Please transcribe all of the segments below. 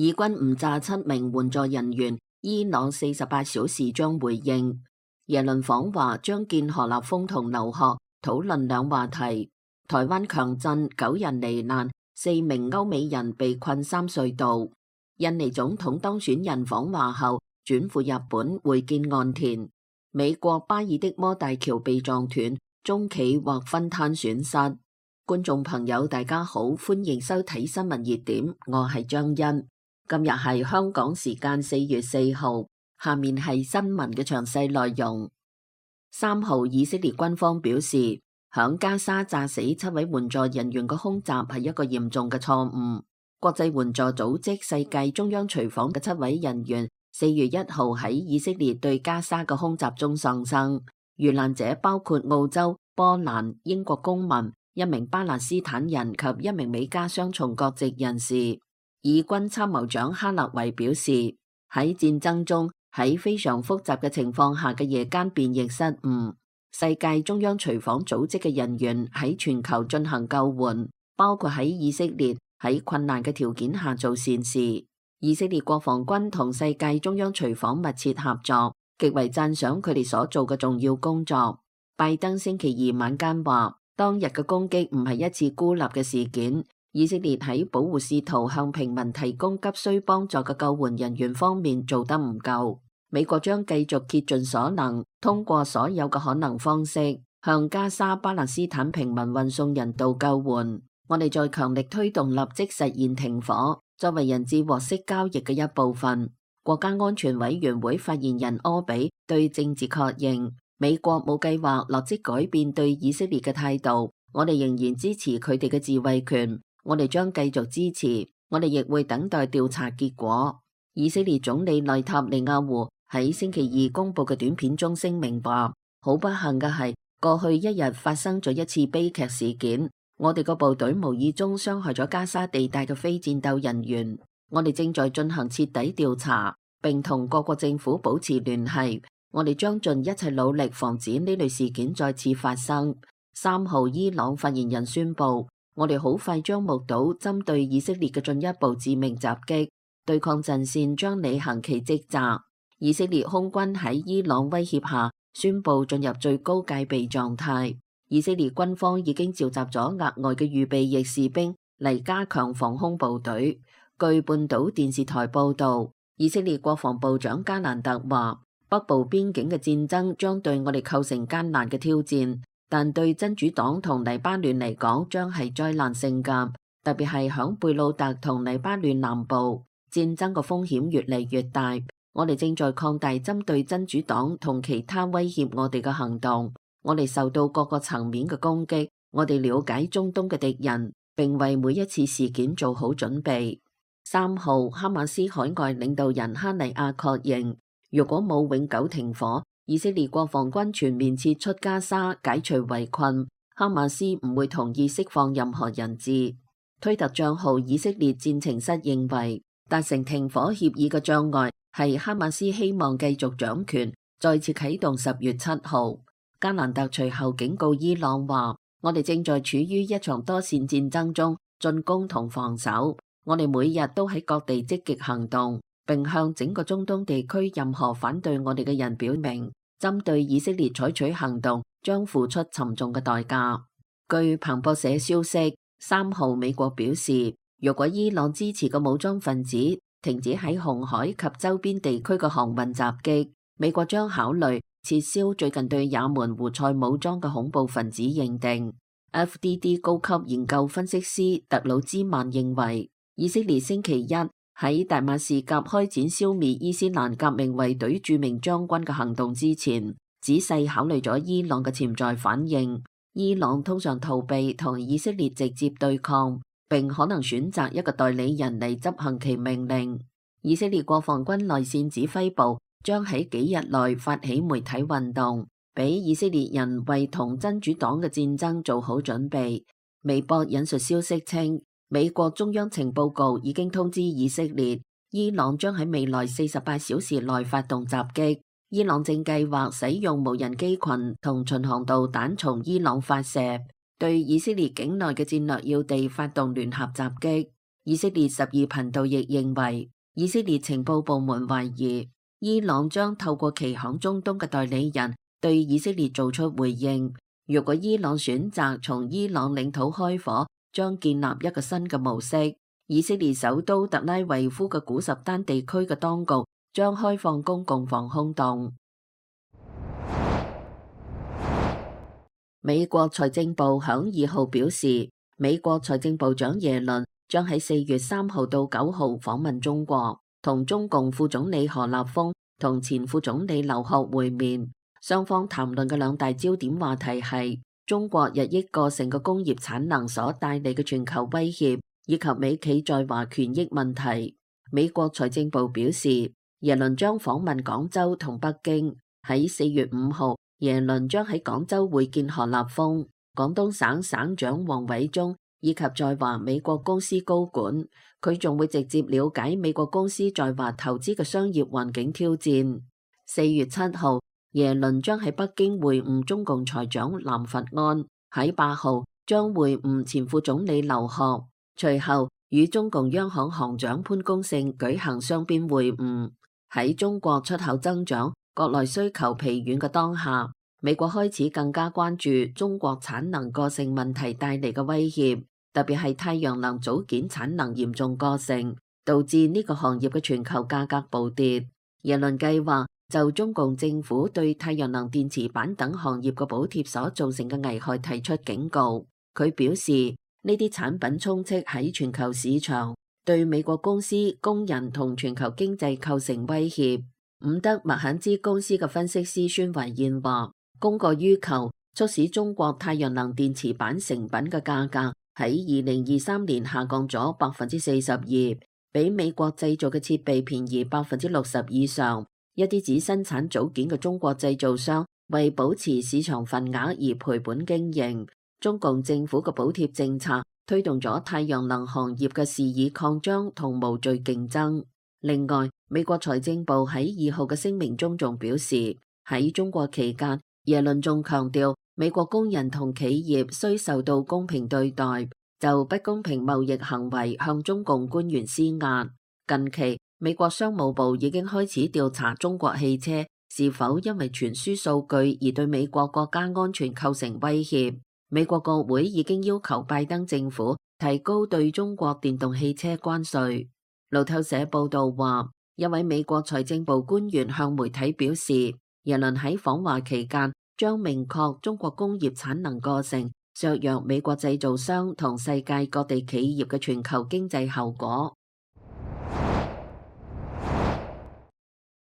以軍誤炸7名援助人員，伊朗48小時將回應。耶倫訪華將見何立峰同劉鶴，討論兩話題。台灣強震9人罹難，4名歐美人被困三隧道。印尼總統當選人訪華後轉赴日本會見岸田。美國巴爾的摩大橋被撞斷，中企或分攤損失。觀眾朋友大家好，歡迎收睇新聞熱點，我係張欣。今日係香港時間4月4號，下面係新聞嘅詳細內容。3號以色列軍方表示，響加沙炸死7位援助人員嘅空襲係一個嚴重嘅錯誤。國際援助組織世界中央廚房嘅7位人員4月1號喺以色列對加沙嘅空襲中喪生，遇難者包括澳洲、波蘭、英國公民、1名巴勒斯坦人及1名美加雙重國籍人士。以軍參謀長哈勒維表示，喺戰爭中，喺非常複雜嘅情況下嘅夜間變譯失誤。世界中央廚房組織嘅人員喺全球進行救援，包括喺以色列喺困難嘅條件下做善事。以色列國防軍同世界中央廚房密切合作，極為讚賞佢哋所做嘅重要工作。拜登星期2晚間話，當日嘅攻擊唔係一次孤立嘅事件。以色列喺保護試圖向平民提供急需幫助嘅救援人員方面做得唔夠。美國將繼續竭盡所能，通過所有嘅可能方式，向加沙巴勒斯坦平民運送人道救援。我哋再強力推動立即實現停火，作為人質獲釋交易嘅一部分。國家安全委員會發言人柯比對政治確認，美國冇計劃立即改變對以色列嘅態度，我哋仍然支持佢哋嘅自衛權。我哋將繼續支持，我哋亦會等待調查結果。以色列總理內塔尼亞胡喺星期2公布嘅短片中聲明話，好不幸嘅係，過去一日發生咗一次悲劇事件，我哋個部隊無意中傷害咗加沙地帶嘅非戰鬥人員。我哋正在進行徹底調查，並同各國政府保持聯繫。我哋將盡一切努力防止呢類事件再次發生。3號伊朗發言人宣布，我哋好快將目睹針對以色列嘅進一步致命襲擊，對抗陣線將履行其職責。以色列空軍喺伊朗威脅下宣布進入最高戒備狀態。以色列軍方已經召集咗額外嘅預備役士兵嚟加強防空部隊。據半島電視台報導，以色列國防部長加蘭特話，北部邊境嘅戰爭將對我哋構成艱難嘅挑戰。但對真主黨同黎巴嫩嚟講，將係災難性㗎，特別係響貝魯特同黎巴嫩南部，戰爭嘅風險越嚟越大。我哋正在擴大針對真主黨同其他威脅我哋嘅行動。我哋受到各個層面嘅攻擊。我哋了解中東嘅敵人，並為每一次事件做好準備。3號，哈馬斯海外領導人哈尼亞確認，如果冇永久停火，以色列國防軍全面撤出加沙，解除圍困，哈馬斯唔會同意釋放任何人質。推特帳號以色列戰情室認為，達成停火協議嘅障礙係哈馬斯希望繼續掌權，再次啟動10月7號。加蘭特隨後警告伊朗話，我哋正在處於一場多線戰爭中，進攻同防守。我哋每日都喺各地積極行動，並向整個中東地區任何反對我哋嘅人表明，針對以色列採取行動將付出沉重嘅代價。據彭博社消息，3號美國表示，如果伊朗支持嘅武裝分子停止喺紅海及周邊地區嘅航運襲擊，美國將考慮撤銷最近對也門胡塞武裝嘅恐怖分子認定。FDD 高級研究分析師特魯茲曼認為，以色列星期一喺大馬士革開展消滅伊斯蘭革命衛隊著名將軍嘅行動之前，仔細考慮咗伊朗嘅潛在反應。伊朗通常逃避同以色列直接對抗，並可能選擇一個代理人嚟執行其命令。以色列國防軍內線指揮部將喺幾日內發起媒體運動，俾以色列人為同真主黨嘅戰爭做好準備。微博引述消息稱，美國中央情報局已經通知以色列，伊朗將喺未來48小時內發動襲擊。伊朗正計劃使用無人機群同巡航導彈從伊朗發射，對以色列境內嘅戰略要地發動聯合襲擊。以色列12頻道亦認為，以色列情報部門懷疑伊朗將透過其響中東嘅代理人對以色列做出回應。如果伊朗選擇從伊朗領土開火，將建立一個新嘅模式。以色列首都特拉維夫嘅古什丹地區嘅當局將開放公共防空洞。美國財政部響2號表示，美國財政部長耶倫將喺4月3號到9號訪問中國，同中共副總理何立峰同前副總理劉鶴會面。雙方談論嘅兩大焦點話題係中國日益過剩嘅工業產能所帶嚟嘅全球威脅，以及美企在華權益問題。美國財政部表示，耶倫將訪問廣州同北京。喺4月5號，耶倫將喺廣州會見何立峰、廣東省省長王偉中以及在華美國公司高管。佢仲會直接了解美國公司在華投資嘅商業環境挑戰。4月7號，耶倫將喺北京會晤中共財長藍佛安，喺8號將會晤前副總理劉鶴，隨後與中共央行行長潘功勝舉行雙邊會晤。喺中國出口增長、國內需求疲軟嘅當下，美國開始更加關注中國產能過剩問題帶嚟嘅威脅，特別係太陽能組件產能嚴重過剩，導致呢個行業嘅全球價格暴跌。耶倫計劃就中共政府對太陽能電池板等行業嘅補貼所造成嘅危害提出警告。佢表示，呢啲產品充斥喺全球市場，對美國公司、工人同全球經濟構成威脅。伍德麥肯茲公司嘅分析師孫維燕話，供過於求促使中國太陽能電池板成品嘅價格喺2023年下降咗42%，比美國製造嘅設備便宜60%以上。一啲只生產組件嘅中國製造商為保持市場份額而賠本經營。中共政府嘅補貼政策推動咗太陽能行業嘅肆意擴張同無序競爭。另外，美國財政部喺2號嘅聲明中仲表示，喺中國期間，耶倫仲強調美國工人同企業需受到公平對待，就不公平貿易行為向中共官員施壓。近期，美國商務部已經開始調查中國汽車是否因為傳輸數據而對美國國家安全構成威脅。美國國會已經要求拜登政府提高對中國電動汽車關稅。路透社報道話，一位美國財政部官員向媒體表示，耶倫喺訪華期間將明確中國工業產能過剩削弱美國製造商同世界各地企業嘅全球經濟後果。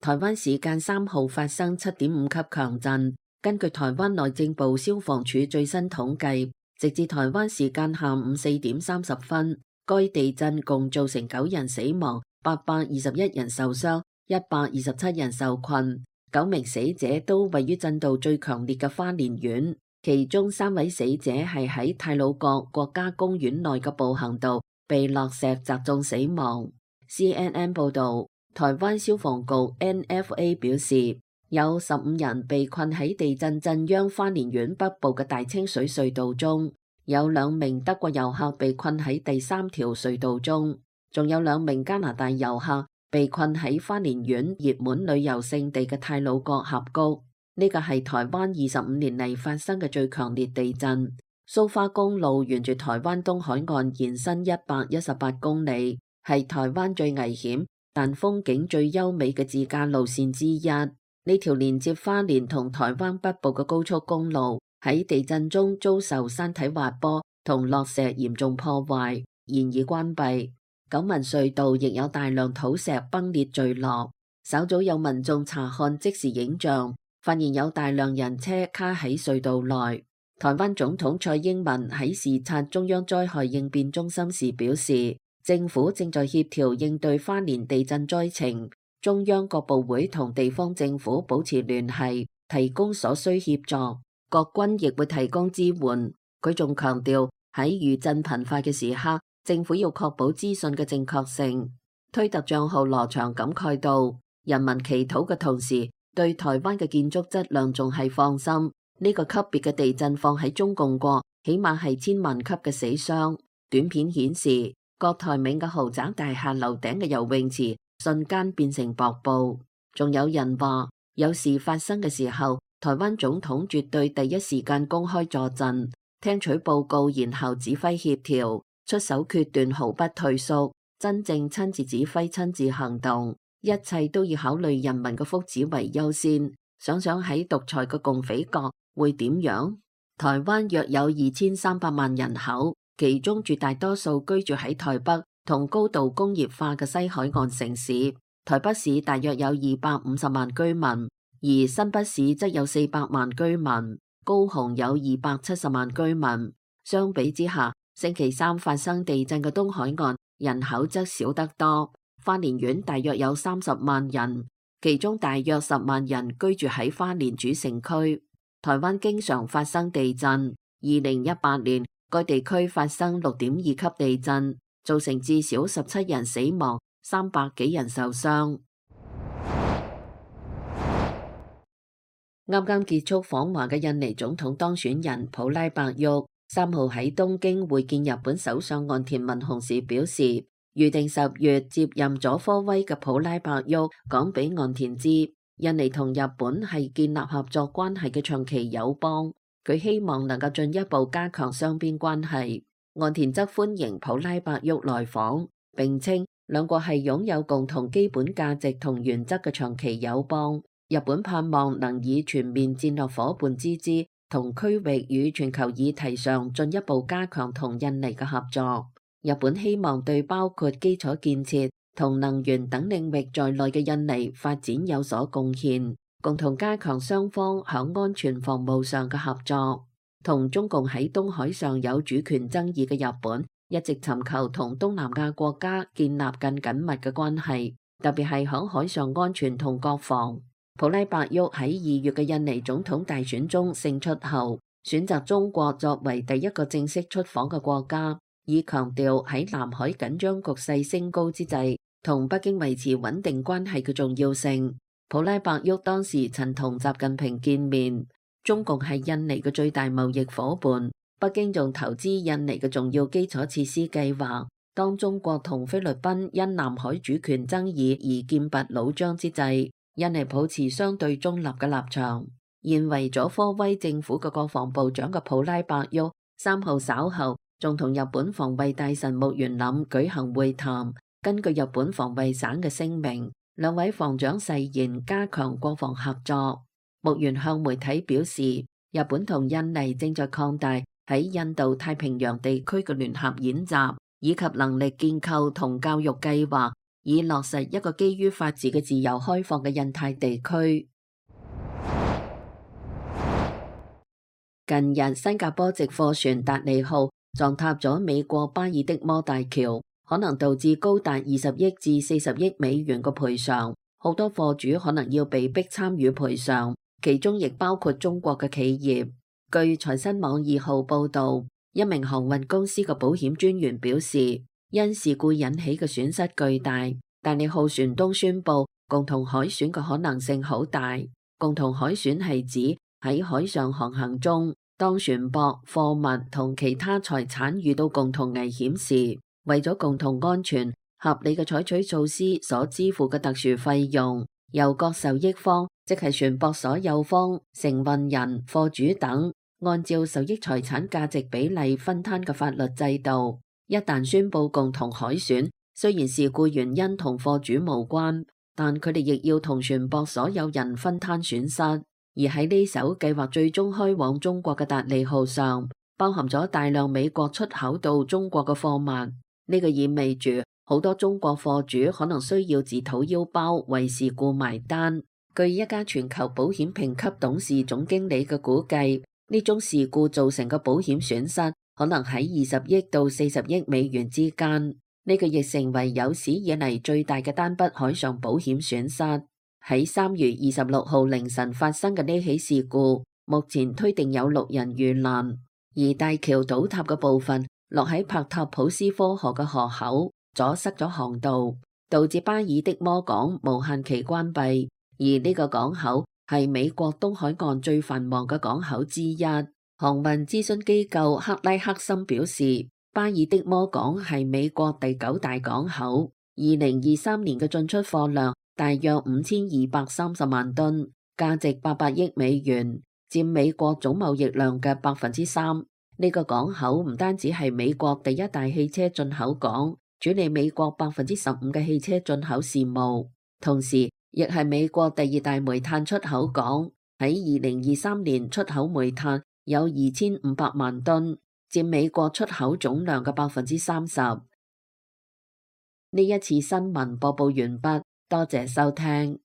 台灣時間3號發生7.5級強震，根據台灣內政部消防處最新統計，直至台灣時間下午4點30分，該地震共造成9人死亡、821人受傷、127人受困。9名死者都位於震度最強烈嘅花蓮縣，其中3位死者係喺太魯閣國家公園內嘅步行道被落石砸中死亡。CNN 報道，台灣消防局 NFA 表示，有15人被困喺地震震央花蓮縣北部嘅大清水隧道中。有2名德國遊客被困喺第3條隧道中，仲有2名加拿大遊客被困喺花蓮縣熱門旅遊勝地嘅太魯閣峽谷。呢個係台灣25年嚟發生嘅最強烈地震。蘇花公路沿住台灣東海岸延伸118公里，係台灣最危險但風景最優美嘅自駕路線之一。呢條連接花蓮同台灣北部嘅高速公路喺地震中遭受山體滑坡同落石嚴重破壞，現已關閉。九文隧道亦有大量土石崩裂墜落。稍早有民眾查看即時影像，發現有大量人車卡喺隧道內。台灣總統蔡英文喺視察中央災害應變中心時表示，政府正在協調應對花蓮地震災情，中央各部會同地方政府保持聯繫，提供所需協助。國軍亦會提供支援。佢仲強調喺餘震頻發嘅時刻，政府要確保資訊嘅正確性。推特賬號羅翔感慨到，人民祈禱嘅同時，對台灣嘅建築質量仲係放心。呢個級別嘅地震放喺中共國，起碼係千萬級嘅死傷。短片顯示，郭台銘嘅豪宅大廈樓頂嘅游泳池瞬間變成瀑布。仲有人話，有事發生嘅時候，台灣總統絕對第一時間公開助陣，聽取報告，然後指揮協調，出手決斷，毫不退縮，真正親自指揮、親自行動，一切都要考慮人民嘅福祉為優先。想想喺獨裁嘅共匪國會點樣？台灣約有2300萬人口，其中絕大多數居住喺台北同高度工業化嘅西海岸城市。台北市大約有250萬居民，而新北市則有400萬居民，高雄有270萬居民。相比之下，星期三發生地震嘅東海岸人口則少得多。花蓮縣大約有30萬人，其中大約10萬人居住喺花蓮主城區。台灣經常發生地震，2018年該地區發生6.2級地震，造成至少17人死亡，300幾人受傷。啱啱結束訪華嘅印尼總統當選人普拉伯沃3號喺東京會見日本首相岸田文雄時表示，預定10月接任佐科威嘅普拉伯沃講俾岸田知，印尼同日本係建立合作關係嘅長期友邦，佢希望能夠進一步加強雙邊關係。岸田則歡迎普拉伯沃來訪，並稱兩國係擁有共同基本價值同原則嘅長期友邦。日本盼望能以全面戰略夥伴之姿，同區域與全球議題上進一步加強同印尼嘅合作。日本希望對包括基礎建設同能源等領域在內嘅印尼發展有所貢獻，共同加強雙方響安全防務上嘅合作。同中共喺東海上有主權爭議嘅日本，一直尋求同東南亞國家建立更緊密嘅關係，特別係響海上安全同國防。普拉伯沃喺2月嘅印尼總統大選中勝出後，選擇中國作為第一個正式出訪嘅國家，以強調喺南海緊張局勢升高之際，同北京維持穩定關係嘅重要性。普拉伯沃當時曾同習近平見面，中共係印尼嘅最大貿易夥伴，北京仲投資印尼嘅重要基礎設施計劃。當中國同菲律賓因南海主權爭議而劍拔弩張之際，印尼保持相對中立嘅立場。現為佐科威政府嘅國防部長嘅普拉伯沃3號稍後仲同日本防衛大臣木原稔舉行會談。根據日本防衛省嘅聲明，兩位防長誓言加強國防合作。木原向媒體表示，日本同印尼正在擴大喺印度太平洋地區嘅聯合演習，以及能力建構同教育計劃，以落實一個基於法治嘅自由開放嘅印太地區。近日，新加坡籍貨船達利號撞塌咗美國巴爾的摩大橋，可能導致高達20億至40億美元嘅賠償，好多貨主可能要被逼參與賠償，其中亦包括中國嘅企業。據財新網2號報導，一名航運公司嘅保險專員表示，因事故引起嘅損失巨大，達利號船東宣布共同海損嘅可能性好大。共同海損係指喺海上航行中，當船舶、貨物同其他財產遇到共同危險時，為咗共同安全，合理嘅採取措施所支付嘅特殊費用，由各受益方，即係船舶所有方、承運人、貨主等，按照受益財產價值比例分攤嘅法律制度。一旦宣布共同海損，雖然事故原因同貨主無關，但佢哋亦要同船舶所有人分攤損失。而喺呢艘計劃最終開往中國嘅達利號上，包含咗大量美國出口到中國嘅貨物。呢個意味住好多中國貨主可能需要自掏腰包為事故埋單。據一家全球保險評級董事總經理嘅估計，呢種事故造成嘅保險損失可能喺20億到40億美元之間。呢個亦成為有史以嚟最大嘅單筆海上保險損失。喺3月26號凌晨發生嘅呢起事故，目前推定有6人遇難，而大橋倒塌嘅部分落喺帕塔普斯科河嘅河口，阻塞咗航道，導致巴爾的摩港無限期關閉。而呢個港口係美國東海岸最繁忙嘅港口之一。航運諮詢機構克拉克森表示，巴爾的摩港係美國第9大港口，2023年嘅進出貨量大約5230萬噸，價值800億美元，佔美國總貿易量嘅3%。呢個港口唔單止係美國第1大汽車進口港，處理美國15%嘅汽車進口事務，同時亦係美國第2大煤炭出口港。喺2023年出口煤炭有2500萬噸，佔美國出口總量嘅30%。呢一次新聞播報完畢，多謝收聽。